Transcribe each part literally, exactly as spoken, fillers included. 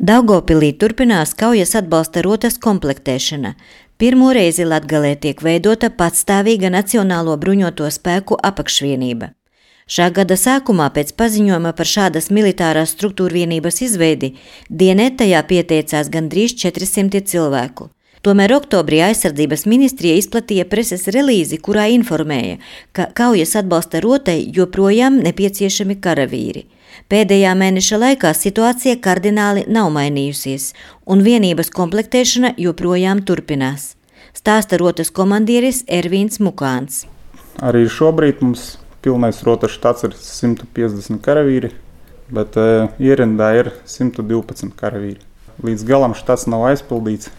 Daugavpilī turpinās kaujas atbalsta rotas komplektēšana. Pirmo reizi Latgalē tiek veidota patstāvīga Nacionālo bruņoto spēku apakšvienība. Šā gada sākumā pēc paziņojuma par šādas militārās struktūrvienības izveidi dienē tajā pieteicās gandrīz četri simti cilvēku. Tomēr oktobrī aizsardzības ministrija izplatīja preses relīzi, kurā informēja, ka kaujas atbalsta rotai joprojām nepieciešami karavīri. Pēdējā mēneša laikā situācija kardināli nav mainījusies, un vienības komplektēšana joprojām turpinās. Stāsta rotas komandieris Ervīns Mukāns. Arī šobrīd mums pilnais rotas štats ir simt piecdesmit karavīri, bet e, ierindā ir simt divpadsmit karavīri. Līdz galam štats nav aizpildīts,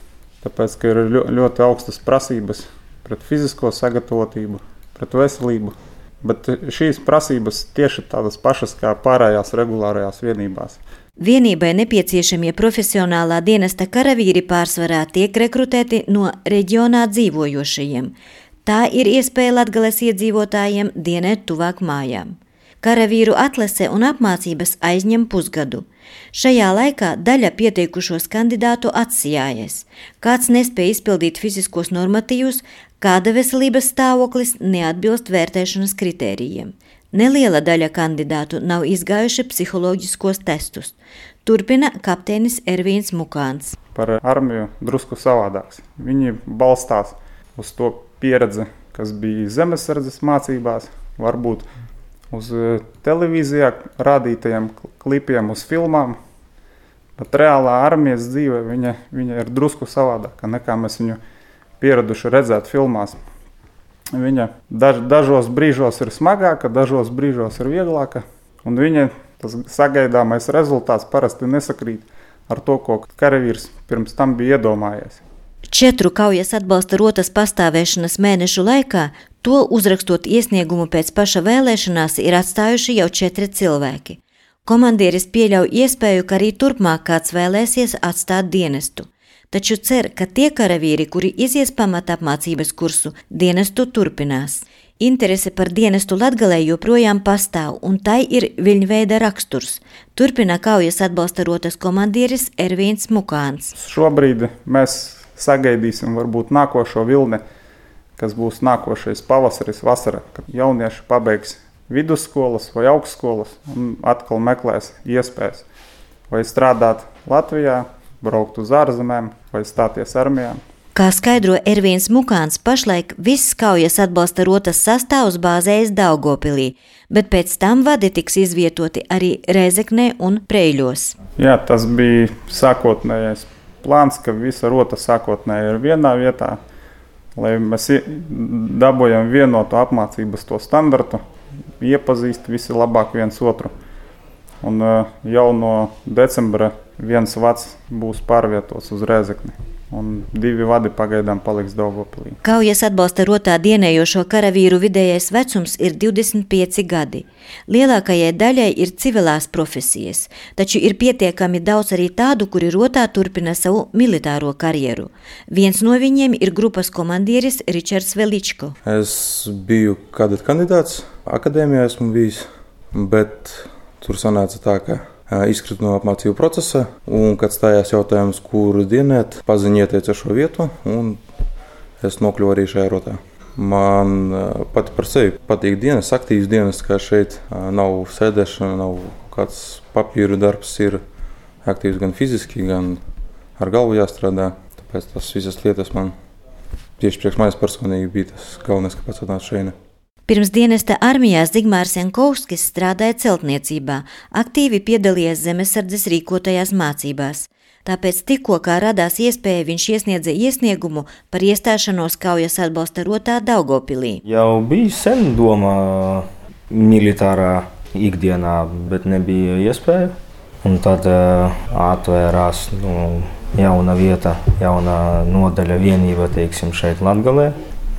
tāpēc, ka ir ļoti augstas prasības pret fizisko sagatavotību, pret veselību. Bet šīs prasības tieši tādas pašas kā pārējās regulārajās vienībās. Vienībai nepieciešamie profesionālā dienesta karavīri pārsvarā tiek rekrutēti no reģionā dzīvojošajiem. Tā ir iespēja Latgales iedzīvotājiem dienēt tuvāk mājām. Karavīru atlase un apmācības aizņem pusgadu. Šajā laikā daļa pieteikušos kandidātu atsijājas. Kāds nespēja izpildīt fiziskos normatīvus, kāda veselības stāvoklis neatbilst vērtēšanas kritērijiem. Neliela daļa kandidātu nav izgājuši psiholoģiskos testus. Turpina kapteinis Ervīns Mukāns. Par armiju drusku savādāks. Viņi balstās uz to pieredzi, kas bija zemesardzes mācībās, varbūt uz televīzijā rādītajiem klipiem, uz filmām, bet reālā armijas dzīve viņa, viņa ir drusku savādāka, nekā mēs viņu pieraduši redzēt filmās. Viņa daž, dažos brīžos ir smagāka, dažos brīžos ir vieglāka, un viņa tas sagaidāmais rezultāts parasti nesakrīt ar to, ko karavīrs pirms tam bija iedomājies. Četru kaujas atbalsta rotas pastāvēšanas mēnešu laikā to uzrakstot iesniegumu pēc paša vēlēšanās ir atstājuši jau četri cilvēki. Komandieris pieļauj iespēju, ka arī turpmāk kāds vēlēsies atstāt dienestu. Taču cer, ka tie karavīri, kuri izies pamata apmācības kursu, dienestu turpinās. Interese par dienestu Latgalē joprojām pastāv, un tai ir viļņveida raksturs. Turpina kaujas atbalsta rotas komandieris Ervīns Mukāns. Šobrīd mēs sagaidīsim varbūt nākošo vilni, kas būs nākošais pavasaris, vasara, kad jaunieši pabeigs vidusskolas vai augstskolas un atkal meklēs iespējas vai strādāt Latvijā, braukt uz ārzemēm vai stāties armijā. Kā skaidro Ervīns Mukāns, pašlaik viss kaujas atbalsta rotas sastāvs bāzējas Daugavpilī, bet pēc tam vadi tiks izvietoti arī Rēzeknē un Preiļos. Jā, tas bija sākotnējais plāns, ka visa rota sākotnēji ir vienā vietā, lai mēs dabojam vienotu apmācības to standartu, iepazīst visi labāk viens otru. Un jau no decembra viens vads būs pārvietots uz Rēzekni, un divi vadi pagaidām paliks Daugavpilī. Kaujas atbalsta rotā dienējošo karavīru vidējais vecums ir divdesmit pieci gadi. Lielākajai daļai ir civilās profesijas, taču ir pietiekami daudz arī tādu, kuri rotā turpina savu militāro karjeru. Viens no viņiem ir grupas komandieris Ričards Veličko. Es biju kadeta kandidāts, akadēmijā esmu bijis, bet tur sanāca tā, ka izkritu no apmācību procesa, un, kad stājās jautājums, kur dienēt, paziņa ieteica šo vietu, un es nokļuvu arī šajā rotā. Man pati par sevi patīk dienas, aktīvs dienas, kā šeit nav sēdēšana, nav kāds papīru darbs, ir aktīvs gan fiziski, gan ar galvu jāstrādā. Tāpēc tas visas lietas man tieši priekš manis personīgi bija tas galvenais, kāpēc atnācu šeit. Pirms dienesta armijā Zigmārs Jankovskis strādāja celtniecībā, aktīvi piedalījies zemesardzes rīkotajās mācībās. Tāpēc tikko kā radās iespēja, viņš iesniedza iesniegumu par iestāšanos kaujas atbalsta rotā Daugavpilī. Jau bija sen doma militārā ikdienā, bet nebija iespēja. Un tad uh, atvērās nu, jauna vieta, jauna nodaļa vienība, teiksim, šeit Latgalē.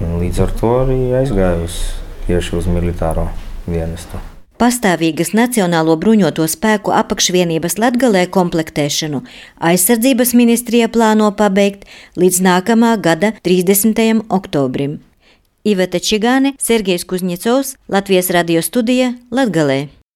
Līdz ar to arī aizgājusi tieši uz militāro dienestu. Pastāvīgas Nacionālo bruņoto spēku apakšvienības Latgalē komplektēšanu aizsardzības ministrija plāno pabeigt līdz nākamā gada trīsdesmitajam oktobrim. Iveta Čigāne, Sergejs Kuzņecovs, Latvijas radio studija, Latgalē.